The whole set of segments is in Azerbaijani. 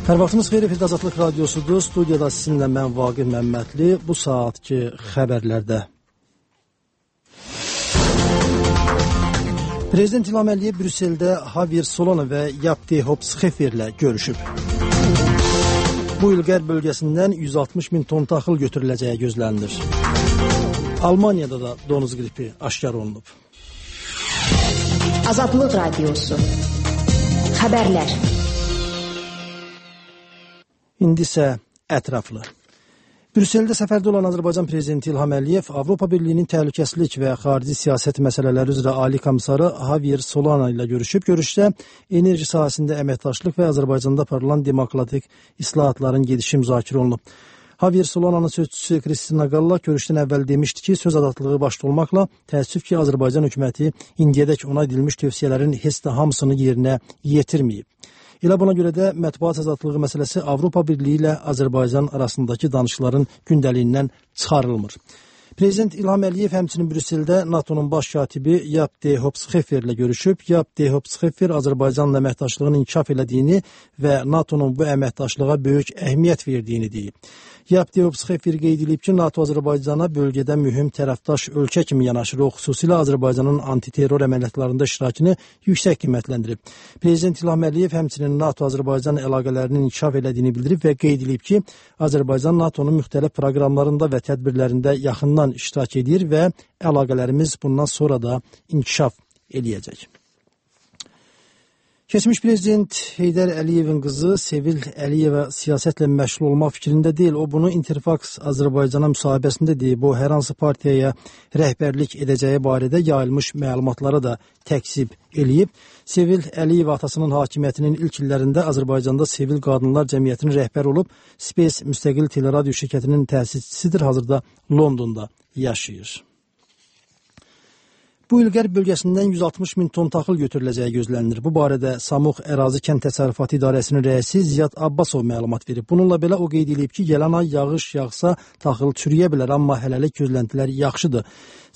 Hər vaxtınız xeyir, Azadlıq Radiosudur. Studiyada sizinlə mən Vaqif Məmmədli. Bu saatki xəbərlərdə. Prezident İlham Əliyev Brüsseldə Javier Solana və Yapti Hopps-Xeferlə görüşüb. Bu il qərb bölgəsindən 160 min ton taxıl götürüləcəyi gözlənilir. Almaniyada da donuz qripi aşkar olunub. Azadlıq Radiosu. Xəbərlər. İndi isə ətraflı. Brüsseldə səfərdə olan Azərbaycan Prezidenti İlham Əliyev Avropa Birliyinin təhlükəsizlik və xarici siyasət məsələləri üzrə Ali Komissarı Javier Solana ilə görüşüb. Görüşdə enerji sahəsində əməkdaşlıq və Azərbaycanda aparılan demokratik islahatların gedişi müzakirə olunub. Javier Solana'nın sözçüsü Kristina Galla görüşdən əvvəl demişdi ki, söz azadlığı başda olmaqla təəssüf ki, Azərbaycan hökuməti indiyədək ona edilmiş tövsiyələrin heç də hamısını yerinə yetirməyib. Elə buna görə də mətbuat azadlığı məsələsi Avropa Birliyi ilə Azərbaycan arasındakı danışıqların gündəliyindən çıxarılmır. Prezident İlham Əliyev həmçinin Brüsseldə NATO'nun baş katibi Yapti Hopps-Xeferlə görüşüb. Yapti Hopps-Xefer Azərbaycanla əməkdaşlığın inkişaf elədiyini və NATO'nun bu əməkdaşlığa böyük əhəmiyyət verdiyini deyib. Yapti Hopps-Xefer qeyd edib ki, NATO Azərbaycana bölgədə mühüm tərəfdaş ölkə kimi yanaşır. O xüsusilə Azərbaycanın antiterror əməliyyatlarında iştirakını yüksək qiymətləndirib. Prezident İlham Əliyev həmçinin NATO-Azərbaycan əlaqələrinin inkişaf elədiyini bildirib və qeyd edib ki, Azərbaycan NATO'nun müxtəlif proqramlarında və tədbirlərində yaxından iştirak edir və əlaqələrimiz bundan sonra da inkişaf eləyəcək. Keçmiş prezident Heydər Əliyevin qızı Sevil Əliyeva siyasətlə məşğul olmaq fikrində deyil. O bunu Interfax Azərbaycana müsahibəsində deyib. O hər hansı partiyaya rəhbərlik edəcəyi barədə yayılmış məlumatlara da təkzib eləyib. Sevil Əliyeva atasının hakimiyyətinin ilk illərində Azərbaycanda Sevil Qadınlar Cəmiyyətinin rəhbəri olub. Space müstəqil teleradio şirkətinin təsisçisidir. Hazırda Londonda yaşayır. Bu il qərb bölgəsindən 160 min ton taxıl götürüləcəyi gözlənilir. Bu barədə Samux Ərazi Kənd Təsərrüfatı İdarəsinin rəisi Ziyad Abbasov məlumat verib. Bununla belə o qeyd edib ki, gələn ay yağış yağsa taxıl çürüyə bilər, amma hələlik gözləntilər yaxşıdır.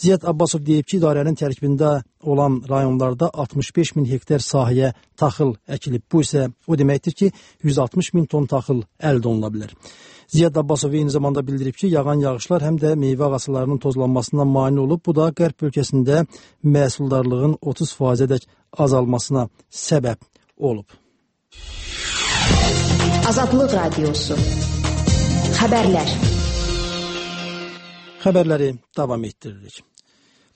Ziyad Abbasov deyib ki, idarənin tərkibində olan rayonlarda 65 min hektar sahəyə taxıl əkilib. Bu isə o deməkdir ki, 160 min ton taxıl əldə olunula bilər. Ziyad Abbasov eyni zamanda bildirib ki, yağan yağışlar həm də meyvə ağaclarının tozlanmasına mane olub. Bu da qərb bölgəsində məhsuldarlığın 30%-ədək azalmasına səbəb olub. Azadlıq Radiosu. Xəbərlər. Xəbərləri davam etdiririk.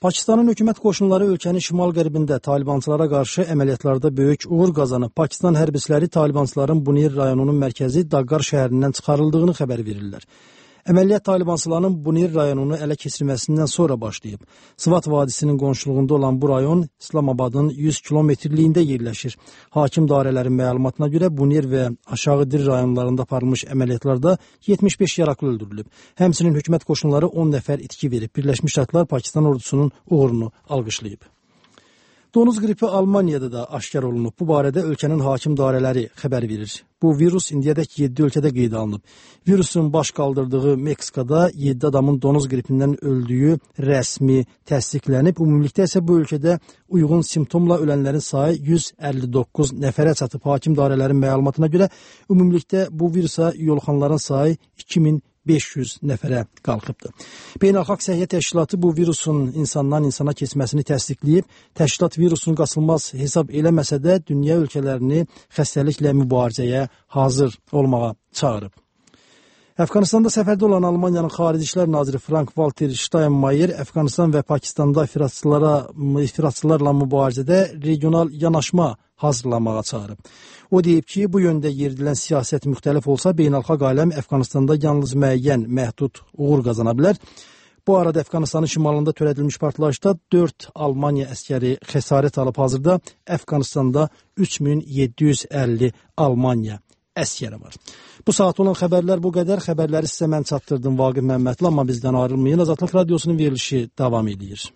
Pakistanın hökumət qoşunları ölkənin şimal-qərbində talibançılara qarşı əməliyyatlarda böyük uğur qazanıb. Pakistan hərbçiləri talibançıların Bunir rayonunun mərkəzi Dagqar şəhərindən çıxarıldığını xəbər verirlər. Əməliyyat talibançıların Bunir rayonunu ələ keçirməsindən sonra başlayıb. Sıvat vadisinin qonşuluğunda olan bu rayon İslamabadın 100 kilometrliyində yerləşir. Hakim dairələrin məlumatına görə Bunir və Aşağı Dir rayonlarında aparılmış əməliyyatlarda 75 yaraklı öldürülüb. Həmçinin hökumət qoşunları 10 nəfər itki verib. Birləşmiş Ştatlar Pakistan ordusunun uğurunu alqışlayıb. Donuz qripi Almaniyada da aşkar olunub. Bu barədə ölkənin hakim dairələri xəbər verir. Bu virus indiyədək 7 ölkədə qeydə alınıb. Virusun baş qaldırdığı Meksikada 7 adamın donuz qripindən öldüyü rəsmi təsdiqlənib. Ümumilikdə isə bu ölkədə uyğun simptomla ölənlərin sayı 159 nəfərə çatıb. Hakim dairələrin məlumatına görə ümumilikdə bu virusa yoluxanların sayı 2500 nəfərə qalxıbdır. Beynəlxalq Səhiyyə Təşkilatı bu virusun insandan insana keçməsini təsdiqləyib. Təşkilat virusun qaçılmaz hesab eləməsə də dünya ölkələrini xəstəliklə mübarizəyə hazır olmağa çağırıb. Əfqanistanda səfərdə olan Almaniyanın Xarici İşlər Naziri Frank-Walter Steinmeier Əfqanistan və Pakistanda ifratçılarla mübarizədə regional yanaşma hazırlamağa çağırıb. O deyib ki, bu yöndə yeridilən siyasət müxtəlif olsa, beynəlxalq aləm Əfqanistanda yalnız müəyyən, məhdud uğur qazana bilər. Bu arada Əfqanistanın şimalında törədilmiş partlayışda 4 Almaniya əskəri xəsarət alıb. Hazırda Əfqanistanda 3750 Almaniya əskəri var. Bu saat olan xəbərlər bu qədər. Xəbərləri sizə mən çatdırdım Vaqif Məmmədli, amma bizdən ayrılmayın. Azadlıq Radiosunun verilişi davam edir.